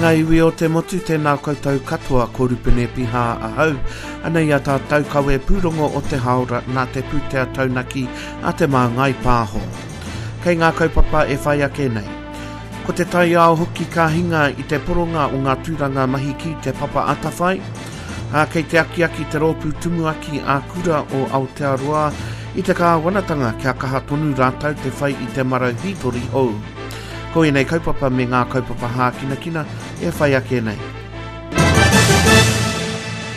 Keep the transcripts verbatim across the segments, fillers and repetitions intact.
ngā iwi o te motu, tēnā koutou katoa, ko Rupene Piha ahau. Anei a tātou kawe pūrongo o te haora nā te pūtea taunaki a Te Māngai Pāho. Kei ngā kaupapa e whai ake nei. Ko te taiao hoki ka hinga i te poronga o ngā tūranga mahi ki Te Papa Atawhai. Ā, kei te akiaki te rōpū tumuaki a Kura o Aotearoa i te kāwanatanga kia kaha tonu rātou te whai i te marau hītori hou. Ko ēnei kaupapa me ngā kaupapa hākinakina e whai ake nei.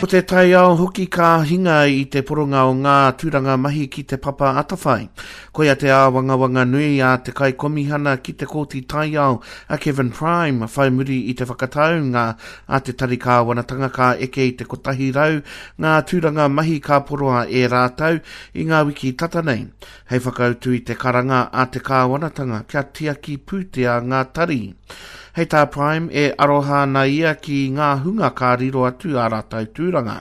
Ko te taiao hoki ka hinga i te poronga o ngā tūranga mahi ki Te Papa Atawhai. Koia te āwangawanga nui a te kaikomihana ki te Kōti Taiao a Kevin Prime whai muri i te whakataunga a te Tari Kāwanatanga ka eke i te kotahi rau ngā tūranga mahi ka poroa e rātou i ngā wiki tata nei, hei whakautu i te karanga a te kāwanatanga kia tiaki pūtea ngā tari. Hei tā Prime, e aroha ana ia ki ngā hunga ka riro atu ā rātou tūranga.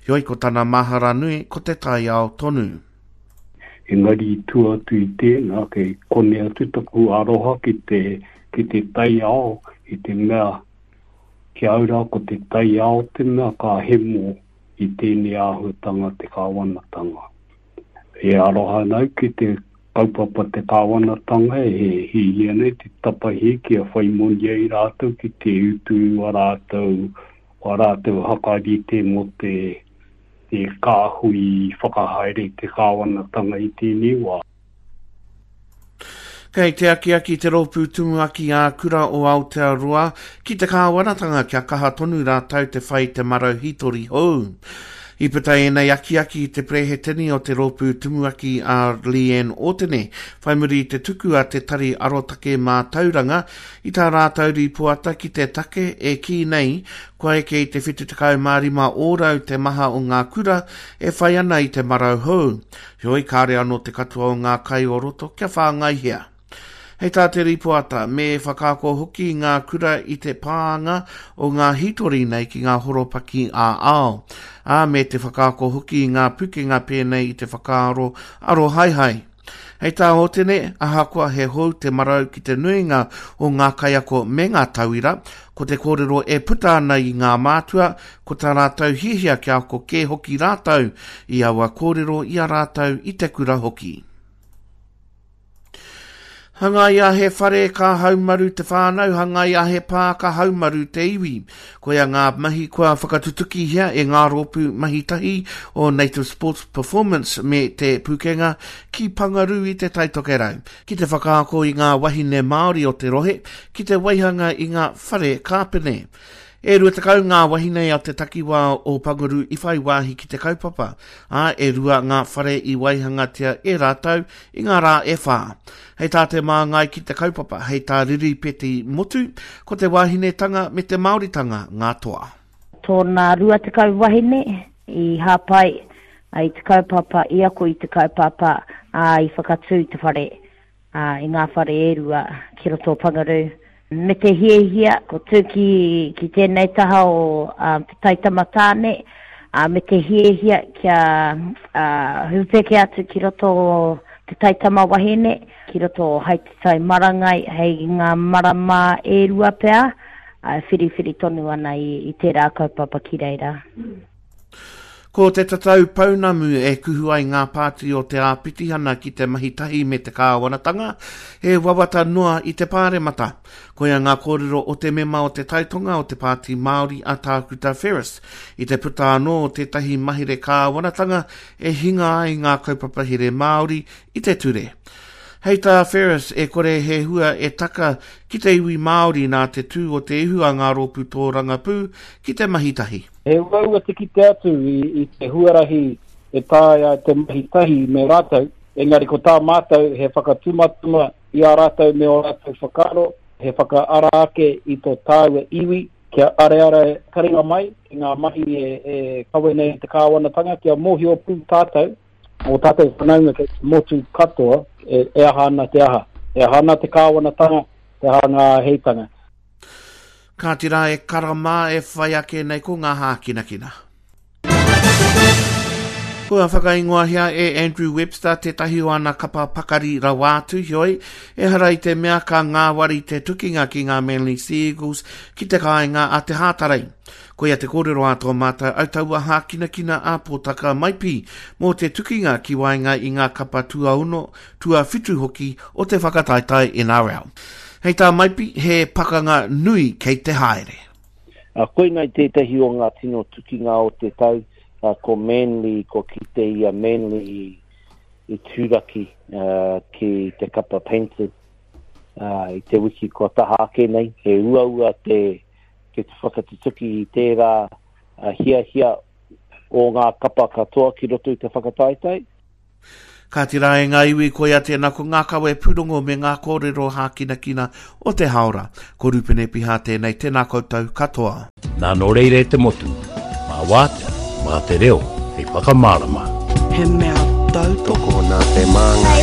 Heoi ko tana mahara nui ko te taiao tonu. Engari i tua atu i tēnā, kei kone atu taku aroha ki te, ki te taiao i te mea ki au rā ko te taiao te mea ka hemo i tēnei āhuatanga te kāwanatanga. E aroha ana au ki te kaupapa te kāwanatanga e hiahia nei te tapahi kia whai moni ai rātou ki te utu wā rātou, wā rātou hakarite mō te, te kāhui whakahaere i te kāwanatanga i tēnei wā. Kei te akiaki te rōpū tumuaki ā-kura o Aotearoa ki te kāwanatanga kia kaha tonu rātou te whai te marau hītori hou. I puta ēnei akiaki i te perehetini o te rōpū tumuaki a Leanne Ōtene, whai muri i te tuku a te Tari Arotake Mātauranga i tā rātou rīpoata ki te take e kī nei kua eke i te whitu tekau mā rima ōrau te maha o ngā kura e whai ana i te marau hou. Heoi, kāre anō te katoa o ngā kai o roto kia whāngaihia. Hei tā te rīpoata, me whakaako hoki ngā kura i te pānga o ngā hītori nei ki ngā horopaki ā-ao, ā, me te whakaako hoki i ngā pukenga pēnei i te whakaaro arohaehae. Hei tā Hotene, ahakoa he hou te marau ki te nuinga o ngā kaiako me ngā tauira, ko te kōrero e puta ana i ngā mātua, ko tā rātou hiahia kia ako kē hoki rātou i aua kōrero i a rātou i te kura hoki. Hangaia he whare ka haumaru te whānau, hangaia he pā ka haumaru te iwi. Koia ngā mahi kua whakatutukihia e ngā rōpū mahi tahi o Native Sports Performance me Te Pūkenga ki Pangarū i Te Tai Tokerau, ki te whakaako i ngā wahine Māori o te rohe, ki te waihanga i ngā whare kāpene. E rua tekau ngā wahine a te takiwā o Panguru i whai wāhi ki te kaupapa, ā, e rua ngā whare i waihangatia e rātou i ngā rā e whā. Hei tā te māngai ki te kaupapa, hei tā Riripeti Motu, ko te wahinetanga me te Māoritanga ngā toa. Tōna rua tekau wahine i hāpai i te kaupapa, i ako i te kaupapa, ā, i whakatū te whare, ā, i ngā whare e rua ki roto o Pangarū. Me te hiahia, ko tū ki, ki tēnei taha o um, te taitama tāne, uh, me te hiahia kia uh, hupeke atu ki roto o te taitama wahine, ki roto o hai te tai marangai, hei ngā marama e rua pea, uh, whiriwhiri tonu ana i, i tērā kaupapa ki reira. Ko te tatau pounamu e kuhu ai ngā pāti o te āpitihana ki te mahi tahi me te kāwanatanga, he wawata noa i te pāremata. Koia ngā kōrero o te mema o te Taitonga o te Pāti Māori a Tākuta Ferris, i te puta anō o tētahi mahere kāwanatanga e hinga ai ngā kaupapa here Māori i te ture. Hei tā Ferris, e kore he hua e taka ki te iwi Māori nā te tū o te ihu a ngā rōpū tōrangapū ki te mahi tahi. He uaua te kite atu i, i te huarahi e taea te mahi tahi me rātou, engari ko tā mātou he whakatumatuma i a rātou me ō rātou whakaaro, he whakaara ake i tō tāua iwi, kia areare taringa mai ki ngā mahi e, e kawe nei te kāwanatanga, kia mōhio pū tātou, o tātou whanaunga kei te motu katoa, e, e aha ana te aha. E aha ana te kāwanatanga, te aha ngā āheitanga. Kāti rā e kara mā e whai ake nei ko ngā hākinakina. Kua whakaingoahia e Andrew Webster tētahi o ana kapa pakari rawa atu, heoi, ehara i te mea ka ngāwari te tukinga ki ngā Manly Sea Eagles ki te kāinga a te Hātarei. Koia te kōrero a tō mātou autaua hākinakina a Pōtaka Maipi mō te tukinga ki waenga i ngā kapa tuaono, tuawhitu hoki o te whakataetae N R L. Hei tā Maipi, he pakanga nui kei te haere. Uh, koinei tētahi o ngā tino tukinga o te tau, uh, ko Manly, ko kite i a Manly i, i turaki uh, ki te kapa Panthers uh, i te wiki kua taha ake nei. He uaua te, te whakatutuki i tērā uh, hiahia o ngā kapa katoa ki roto i te whakataetae. Kāti rā e ngā iwi, koia tēnā ko ngā kawe pūrongo me ngā kōrero hākinakina o te haora. Ko Rupene Piha tēnei, tēnā koutou katoa. Nā nō reira e te motu, mā wātea, mā te reo, hei whakamārama. He mea tautoko Tokona te māngai.